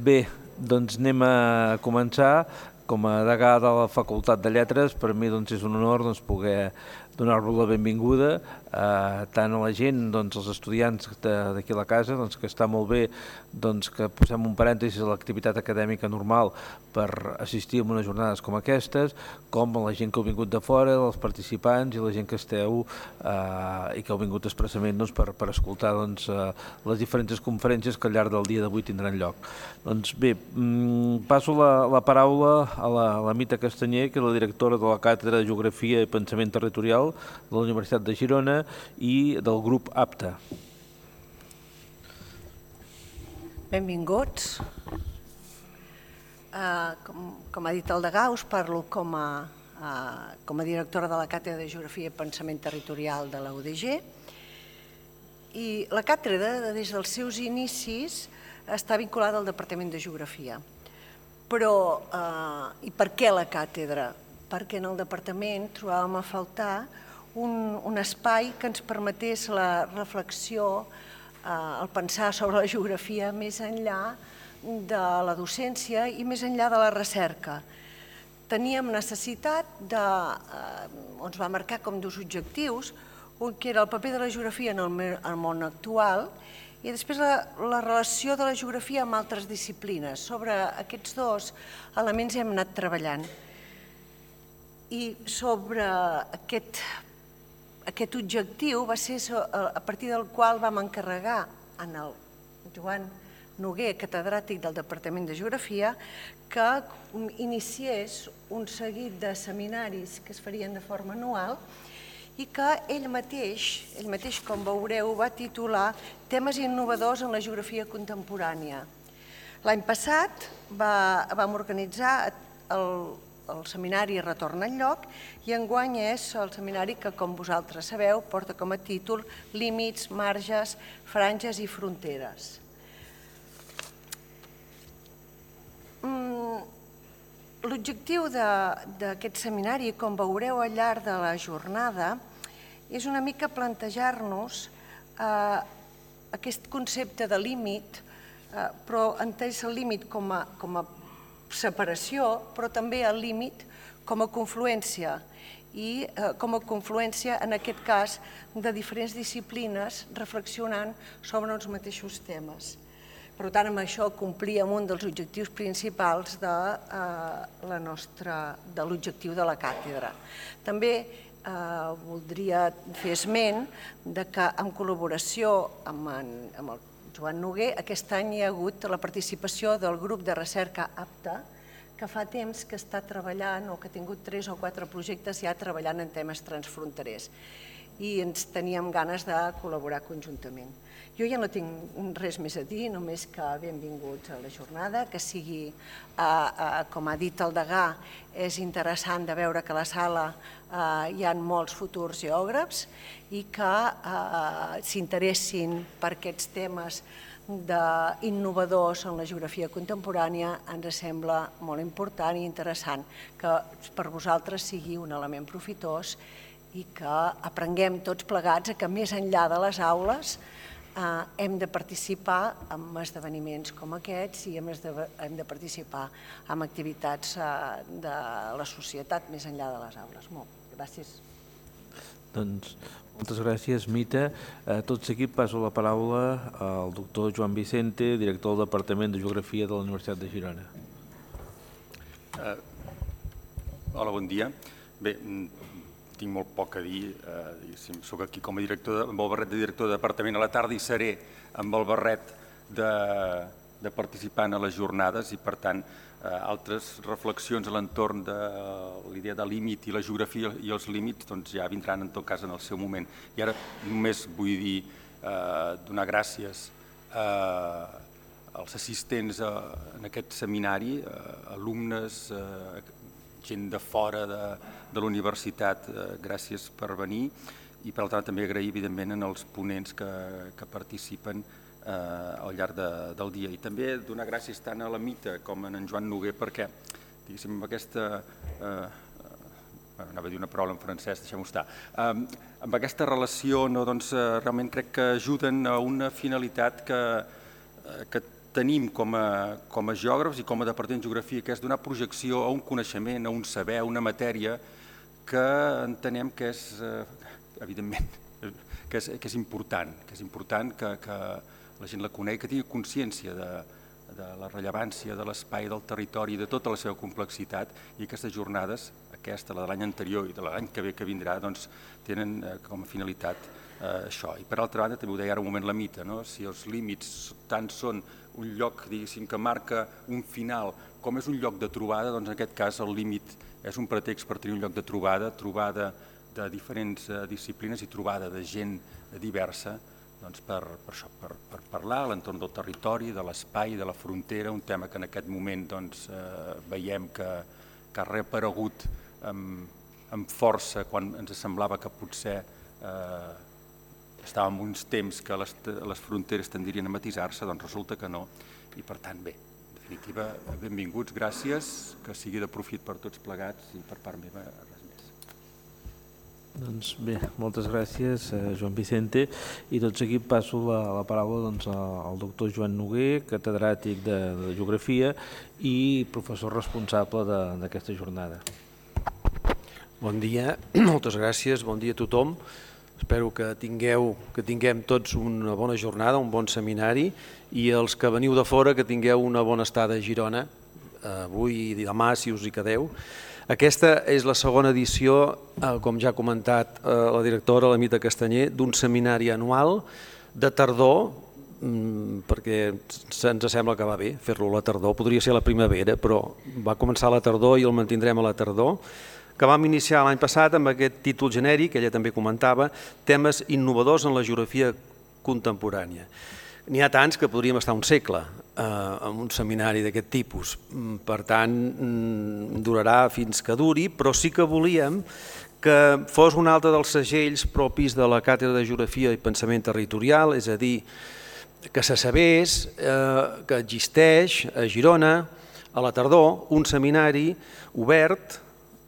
Bé, doncs anem a començar. Com a degà de la Facultat de Lletres, per mi és un honor poder donar-vos la benvinguda tant a la gent, als estudiants d'aquí a la casa, que està molt bé que posem un parèntesi a l'activitat acadèmica normal per assistir a unes jornades com aquestes, com a la gent que heu vingut de fora, els participants i la gent que esteu i que heu vingut expressament per escoltar les diferents conferències que al llarg del dia d'avui tindran lloc. Doncs bé, passo la paraula a la Mita Castanyer, que és la directora de la Càtedra de Geografia i Pensament Territorial de la Universitat de Girona i del grup APTA. Benvinguts. Com ha dit el degà, us parlo com a directora de la Càtedra de Geografia i Pensament Territorial de la UDG. I la càtedra, des dels seus inicis, està vinculada al Departament de Geografia. Però, i per què la càtedra? Perquè en el departament trobàvem a faltar un espai que ens permetés la reflexió, el pensar sobre la geografia més enllà de la docència i més enllà de la recerca. Teníem necessitat ens va marcar com dos objectius, un que era el paper de la geografia en el món actual i després la relació de la geografia amb altres disciplines. Sobre aquests dos elements hem anat treballant. I sobre aquest objectiu va ser a partir del qual vam encarregar en el Joan Noguer, catedràtic del Departament de Geografia, que iniciés un seguit de seminaris que es farien de forma anual i que ell mateix, com veureu, va titular Temes innovadors en la geografia contemporània. L'any passat vam organitzar el seminari Retorn al lloc i enguany és el seminari que, com vosaltres sabeu, porta com a títol Límits, marges, franges i fronteres. L'objectiu d'aquest seminari, com veureu al llarg de la jornada, és una mica plantejar-nos aquest concepte de límit, però entès el límit com a separació, però també el límit com a confluència i com a confluència, en aquest cas, de diferents disciplines reflexionant sobre els mateixos temes. Per tant, amb això complíem un dels objectius principals de l'objectiu de la càtedra. També voldria fer esment que en col·laboració amb el Joan Noguer, aquest any hi ha hagut la participació del grup de recerca APTA, que fa temps que està treballant o que ha tingut 3 o 4 projectes ja treballant en temes transfronterers i ens teníem ganes de col·laborar conjuntament. Jo ja no tinc res més a dir, només que benvinguts a la jornada, que sigui, com ha dit el degà, és interessant de veure que a la sala hi ha molts futurs geògrafs i que s'interessin per aquests temes innovadors en la geografia contemporània. Ens sembla molt important i interessant que per vosaltres sigui un element profitós i que aprenguem tots plegats que més enllà de les aules hem de participar en esdeveniments com aquests i hem de participar en activitats de la societat més enllà de les aules. Gràcies. Doncs moltes gràcies, Mita. Tot seguit passo la paraula al doctor Joan Vicente, director del Departament de Geografia de la Universitat de Girona. Hola, bon dia. Bé, tinc molt poc a dir. Soc aquí com a director, amb el barret de director de departament a la tarda i seré amb el barret de participant a les jornades i, per tant, altres reflexions a l'entorn de l'idea de límit i la geografia i els límits ja vindran en tot cas en el seu moment. I ara només vull dir donar gràcies als assistents en aquest seminari, alumnes, gent de fora de la universitat, gràcies per venir i per altra també agrair evidentment als ponents que participen al llarg del dia. I també donar gràcies tant a la Mita com a en Joan Noguer perquè, diguéssim, amb aquesta, anava a dir una paraula en francès, deixem-ho estar, amb aquesta relació realment crec que ajuden a una finalitat que tenim com a geògrafs i com a Departament de Geografia, que és donar projecció a un coneixement, a un saber, a una matèria que entenem que és, evidentment, que és important que la gent la conegui, que tingui consciència de la rellevància de l'espai, del territori, de tota la seva complexitat, i aquestes jornades, aquesta, la de l'any anterior i de l'any que ve que vindrà, doncs tenen com a finalitat això. I per altra banda, també ho deia ara un moment la Mita, si els límits tant són un lloc, diguéssim, que marca un final, com és un lloc de trobada, doncs en aquest cas el límit és un pretext per tenir un lloc de trobada de diferents disciplines i trobada de gent diversa, doncs per això, per parlar a l'entorn del territori, de l'espai, de la frontera, un tema que en aquest moment veiem que ha reaparegut amb força quan ens semblava que potser estàvem en uns temps que les fronteres tendirien a matisar-se, doncs resulta que no, i per tant bé, en definitiva, benvinguts, gràcies, que sigui de profit per tots plegats i per part meva res més. Doncs bé, moltes gràcies Joan Vicente, i tot seguit passo la paraula al doctor Joan Noguer, catedràtic de Geografia i professor responsable d'aquesta jornada. Bon dia, moltes gràcies, bon dia a tothom. Espero que tinguem tots una bona jornada, un bon seminari, i els que veniu de fora que tingueu una bona estada a Girona, avui i demà, si us hi quedeu. Aquesta és la segona edició, com ja ha comentat la directora, la Mita Castanyer, d'un seminari anual de tardor, perquè ens sembla que va bé fer-lo a la tardor, podria ser a la primavera, però va començar a la tardor i el mantindrem a la tardor, que vam iniciar l'any passat amb aquest títol genèric, ella també comentava, temes innovadors en la geografia contemporània. N'hi ha tants que podríem estar un segle en un seminari d'aquest tipus, per tant durarà fins que duri, però sí que volíem que fos un altre dels segells propis de la Càtedra de Geografia i Pensament Territorial, és a dir, que se sabés que existeix a Girona, a la tardor, un seminari obert,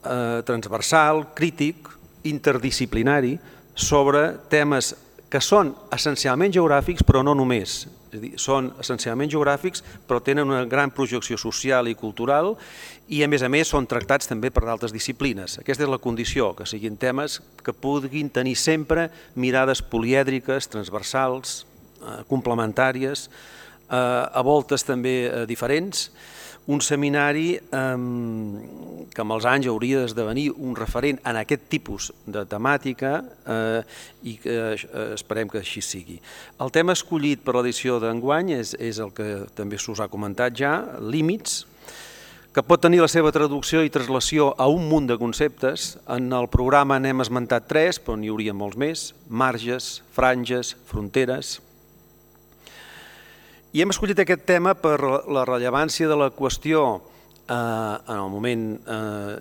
transversal, crític, interdisciplinari, sobre temes que són essencialment geogràfics, però no només. És a dir, són essencialment geogràfics, però tenen una gran projecció social i cultural i, a més, són tractats també per d'altres disciplines. Aquesta és la condició, que siguin temes que puguin tenir sempre mirades polièdriques, transversals, complementàries, a voltes també diferents. Un seminari que amb els anys hauria d'esdevenir un referent en aquest tipus de temàtica i que esperem que així sigui. El tema escollit per l'edició d'enguany és el que també s'us ha comentat ja, límits, que pot tenir la seva traducció i translació a un munt de conceptes. En el programa n'hem esmentat 3, però n'hi hauria molts més: marges, franges, fronteres. I hem escollit aquest tema per la rellevància de la qüestió en el moment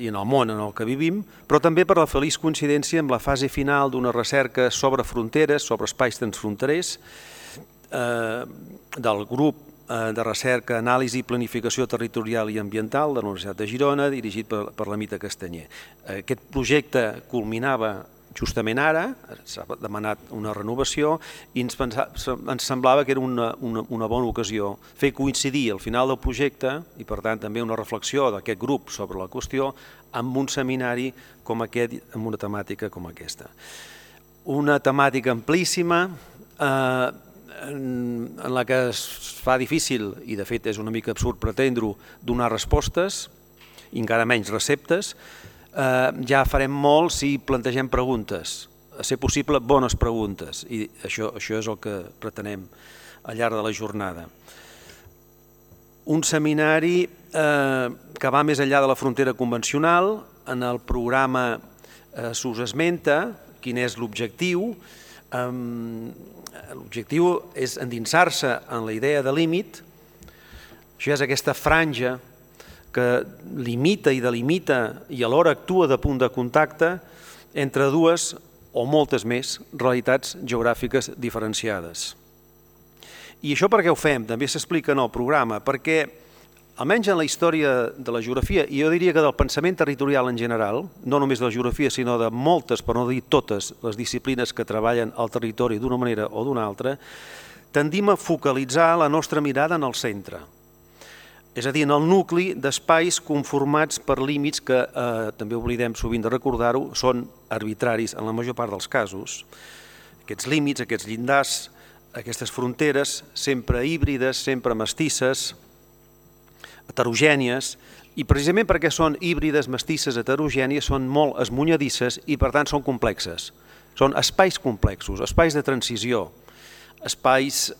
i en el món en el que vivim, però també per la feliç coincidència amb la fase final d'una recerca sobre fronteres, sobre espais transfronterers, del grup de recerca, anàlisi i planificació territorial i ambiental de la Universitat de Girona, dirigit per la Mita Castanyer. Aquest projecte culminava justament ara, s'ha demanat una renovació i ens semblava que era una bona ocasió fer coincidir el final del projecte i per tant també una reflexió d'aquest grup sobre la qüestió amb un seminari com aquest, amb una temàtica com aquesta. Una temàtica amplíssima en la que es fa difícil, i de fet és una mica absurd pretendre-ho, donar respostes i encara menys receptes. Ja farem molt si plantegem preguntes, a ser possible bones preguntes, i això és el que pretenem al llarg de la jornada. Un seminari que va més enllà de la frontera convencional. En el programa s'us esmenta quin és l'objectiu. L'objectiu és endinsar-se en la idea de límit. Això és aquesta franja que limita i delimita i alhora actua de punt de contacte entre dues o moltes més realitats geogràfiques diferenciades. I això per què ho fem? També s'explica en el programa, perquè almenys en la història de la geografia, i jo diria que del pensament territorial en general, no només de la geografia sinó de moltes, per no dir totes, les disciplines que treballen al territori d'una manera o d'una altra, tendim a focalitzar la nostra mirada en el centre, és a dir, en el nucli d'espais conformats per límits que, també oblidem sovint de recordar-ho, són arbitraris en la major part dels casos. Aquests límits, aquests llindars, aquestes fronteres, sempre híbrides, sempre mestisses, heterogènies, i precisament perquè són híbrides, mestisses, heterogènies, són molt esmunyadisses i per tant són complexes. Són espais complexos, espais de transició, espais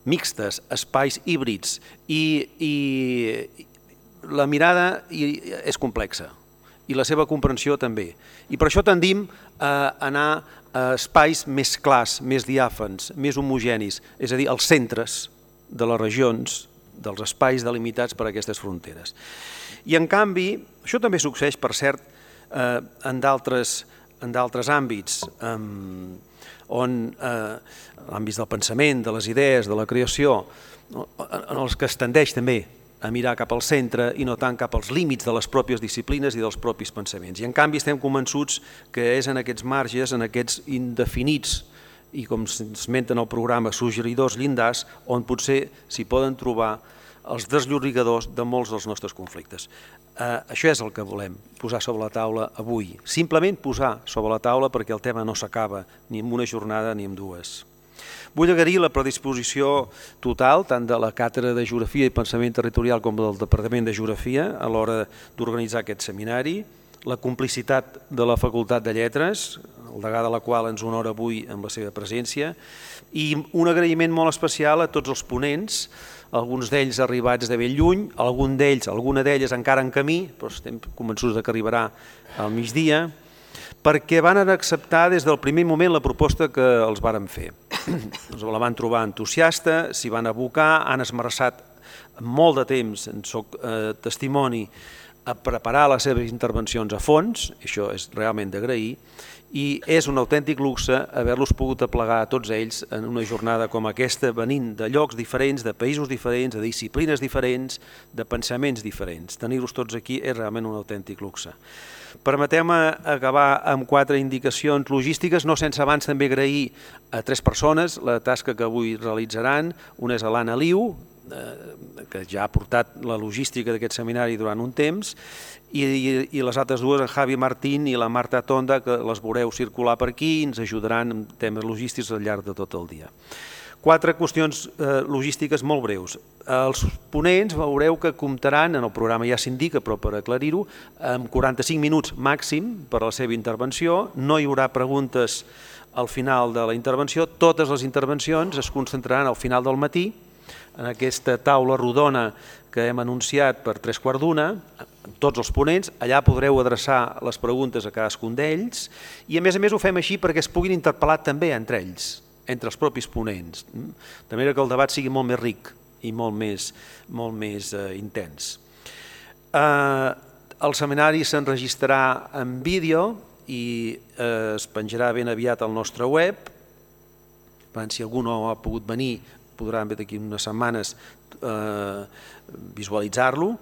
mixtes, espais híbrids, i la mirada és complexa i la seva comprensió també. I per això tendim a anar a espais més clars, més diàfans, més homogenis, és a dir, als centres de les regions, dels espais delimitats per aquestes fronteres. I en canvi, això també succeeix, per cert, en d'altres àmbits, on l'àmbit del pensament, de les idees, de la creació, en els que es tendeix també a mirar cap al centre i no tant cap als límits de les pròpies disciplines i dels propis pensaments. I en canvi estem convençuts que és en aquests marges, en aquests indefinits i, com s'esmenta en el programa, suggeridors llindars, on potser s'hi poden trobar els desllorigadors de molts dels nostres conflictes. Això és el que volem posar sobre la taula avui. Simplement posar sobre la taula, perquè el tema no s'acaba ni en una jornada ni en dues. Vull agrair la predisposició total, tant de la Càtedra de Geografia i Pensament Territorial com del Departament de Geografia a l'hora d'organitzar aquest seminari, la complicitat de la Facultat de Lletres, el degà de la qual ens honora avui amb la seva presència, i un agraïment molt especial a tots els ponents, alguns d'ells arribats de ben lluny, alguna d'elles encara en camí, però estem convençuts que arribarà al migdia, perquè van acceptar des del primer moment la proposta que els vàrem fer. La van trobar entusiasta, s'hi van abocar, han esmerçat molt de temps, en soc testimoni, a preparar les seves intervencions a fons, això és realment d'agrair, i és un autèntic luxe haver-los pogut aplegar a tots ells en una jornada com aquesta, venint de llocs diferents, de països diferents, de disciplines diferents, de pensaments diferents. Tenir-los tots aquí és realment un autèntic luxe. Permeteu-me acabar amb 4 indicacions logístiques, no sense abans també agrair a 3 persones la tasca que avui realitzaran. Una és a l'Anna Liu, que ja ha portat la logística d'aquest seminari durant un temps, i les altres dues, en Javi Martín i la Marta Tonda, que les veureu circular per aquí i ens ajudaran en temes logístics al llarg de tot el dia. 4 qüestions logístiques molt breus. Els ponents veureu que comptaran, en el programa ja s'indica, però per aclarir-ho, amb 45 minuts màxim per a la seva intervenció. No hi haurà preguntes al final de la intervenció. Totes les intervencions es concentraran al final del matí, en aquesta taula rodona que hem anunciat per 3:15, tots els ponents, allà podreu adreçar les preguntes a cadascun d'ells, i a més ho fem així perquè es puguin interpel·lar també entre ells, entre els propis ponents, de manera que el debat sigui molt més ric i molt més intens. El seminari s'enregistrarà en vídeo i es penjarà ben aviat al nostre web. Si algú no ha pogut venir, podran d'aquí unes setmanes visualitzar-lo.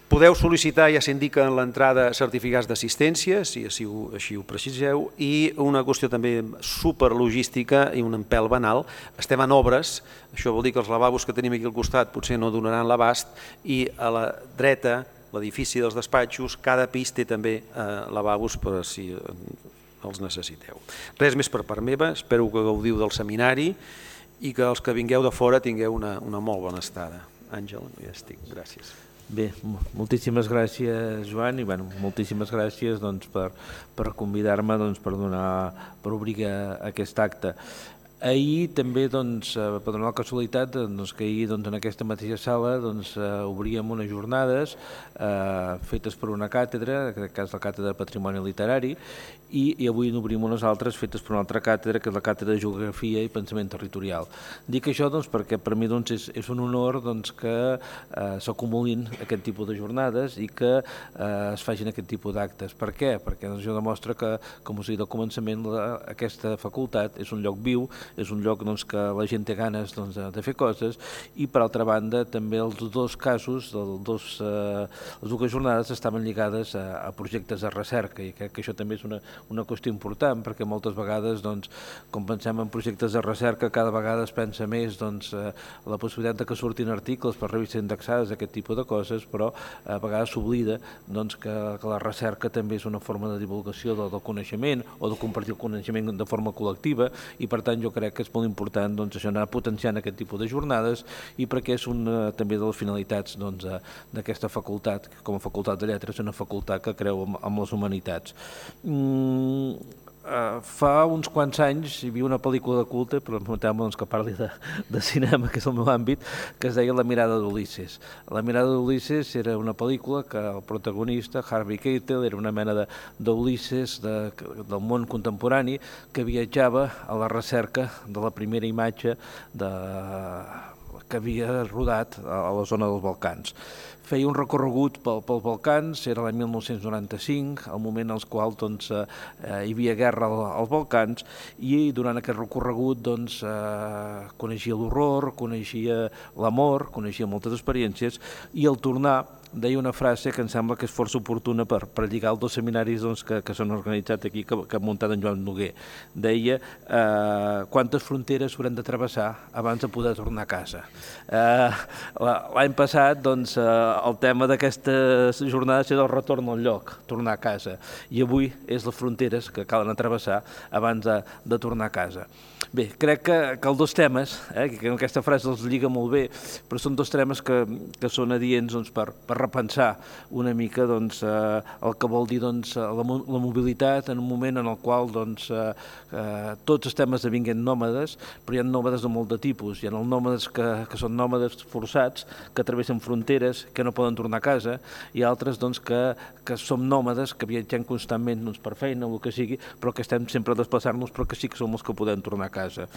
Podeu sol·licitar, ja s'indica en l'entrada, certificats d'assistència, si així ho preciseu, i una qüestió també superlogística i un pèl banal. Estem en obres, això vol dir que els lavabos que tenim aquí al costat potser no donaran l'abast, i a la dreta, l'edifici dels despatxos, cada pis té també lavabos per si els necessiteu. Res més per part meva, espero que gaudiu del seminari i que els que vingueu de fora tingueu una molt bona estada. Àngel, ja estic, gràcies. Bé, moltíssimes gràcies, Joan, i moltíssimes gràcies per convidar-me per obrir aquest acte. Ahir també, per donar la casualitat, que ahir en aquesta mateixa sala obríem unes jornades fetes per una càtedra, en aquest cas la Càtedra de Patrimoni Literari, i avui n'obrim unes altres fetes per una altra càtedra, que és la Càtedra de Geografia i Pensament Territorial. Dic això perquè per mi és un honor que s'acumulin aquest tipus de jornades i que es facin aquest tipus d'actes. Per què? Perquè això demostra que, com us he dit al començament, aquesta facultat és un lloc viu és un lloc que la gent té ganes de fer coses, i per altra banda també els dos casos, les dues jornades estaven lligades a projectes de recerca, i crec que això també és una qüestió important, perquè moltes vegades quan pensem en projectes de recerca cada vegada es pensa més la possibilitat que surtin articles per revistes indexades, aquest tipus de coses, però a vegades s'oblida que la recerca també és una forma de divulgació del coneixement o de compartir el coneixement de forma col·lectiva, i per tant jo crec que és molt important això, anar potenciant aquest tipus de jornades, i perquè és una també de les finalitats d'aquesta facultat, com a facultat de lletres, una facultat que creu en les humanitats. Fa uns quants anys hi havia una pel·lícula de culte, però permeteu-me que parli de cinema, que és el meu àmbit, que es deia La mirada d'Ulisses. La mirada d'Ulisses era una pel·lícula que el protagonista, Harvey Keitel, era una mena d'Ulisses del món contemporani que viatjava a la recerca de la primera imatge que havia rodat a la zona dels Balcans. Feia un recorregut pels Balcans, era l'any 1995, el moment en el qual hi havia guerra als Balcans, i durant aquest recorregut coneixia l'horror, coneixia l'amor, coneixia moltes experiències, i al tornar deia una frase que em sembla que és força oportuna per lligar els dos seminaris que s'han organitzat aquí, que ha muntat en Joan Noguer. Deia quantes fronteres haurem de travessar abans de poder tornar a casa. L'any passat el tema d'aquestes jornades era el retorn al lloc, tornar a casa, i avui és les fronteres que calen travessar abans de tornar a casa. Bé, crec que els dos temes, que aquesta frase els lliga molt bé, però són dos temes que són adients per repensar una mica el que vol dir la mobilitat en un moment en el qual tots estem esdevinguent nòmades, però hi ha nòmades de molt de tipus. Hi ha els nòmades que són nòmades forçats, que travessen fronteres, que no poden tornar a casa, i altres que som nòmades, que viatgem constantment per feina o el que sigui, però que estem sempre a desplaçar-nos, però que sí que som els que podem tornar a casa.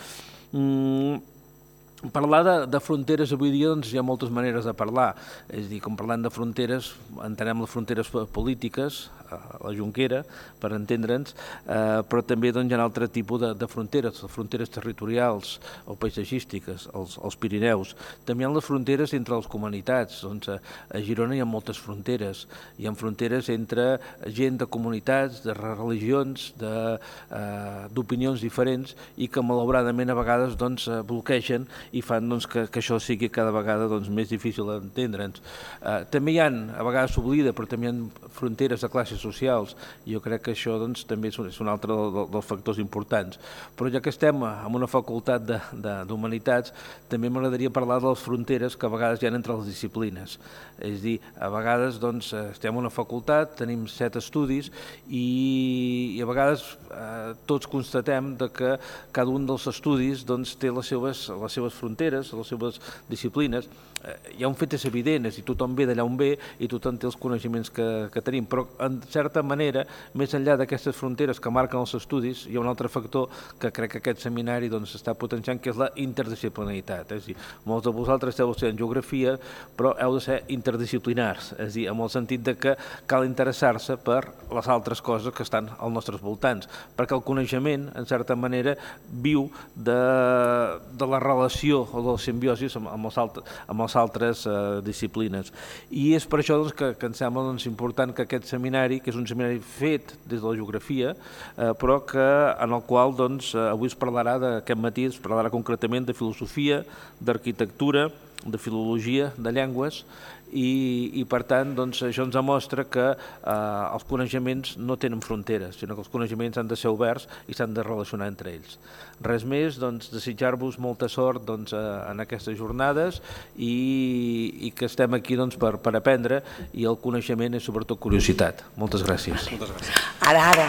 Parlar de fronteres avui dia hi ha moltes maneres de parlar, és a dir, com parlant de fronteres entenem les fronteres polítiques, la Jonquera, per entendre'ns, però també hi ha un altre tipus de fronteres, les fronteres territorials o paisatgístiques, els Pirineus. També hi ha les fronteres entre les comunitats, a Girona hi ha moltes fronteres, hi ha fronteres entre gent de comunitats, de religions, d'opinions diferents, i que malauradament a vegades bloquegen i fan que això sigui cada vegada més difícil d'entendre'ns. També hi ha, a vegades s'oblida, però també hi ha fronteres de classes socials, i jo crec que això també és un altre dels factors importants. Però ja que estem en una facultat d'humanitats, també m'agradaria parlar de les fronteres que a vegades hi ha entre les disciplines. És a dir, a vegades estem en una facultat, tenim 7 estudis, i a vegades tots constatem que cada un dels estudis té les seves fronteres, les seves disciplines. Hi ha un fet és evident, és a dir, tothom ve d'allà on ve i tothom té els coneixements que tenim, però en certa manera, més enllà d'aquestes fronteres que marquen els estudis, hi ha un altre factor que crec que aquest seminari està potenciant, que és la interdisciplinaritat. És a dir, molts de vosaltres esteu estudiant geografia, però heu de ser interdisciplinars, és a dir, amb el sentit que cal interessar-se per les altres coses que estan als nostres voltants, perquè el coneixement, en certa manera, viu de la relació o de la simbiosi amb les altres disciplines. I és per això que em sembla important que aquest seminari, que és un seminari fet des de la geografia, però en el qual avui es parlarà, aquest matí es parlarà concretament de filosofia, d'arquitectura, de filologia, de llengües, i per tant això ens demostra que els coneixements no tenen fronteres, sinó que els coneixements han de ser oberts i s'han de relacionar entre ells. Res més, desitjar-vos molta sort en aquestes jornades, i que estem aquí per aprendre, i el coneixement és sobretot curiositat. Moltes gràcies. Ara.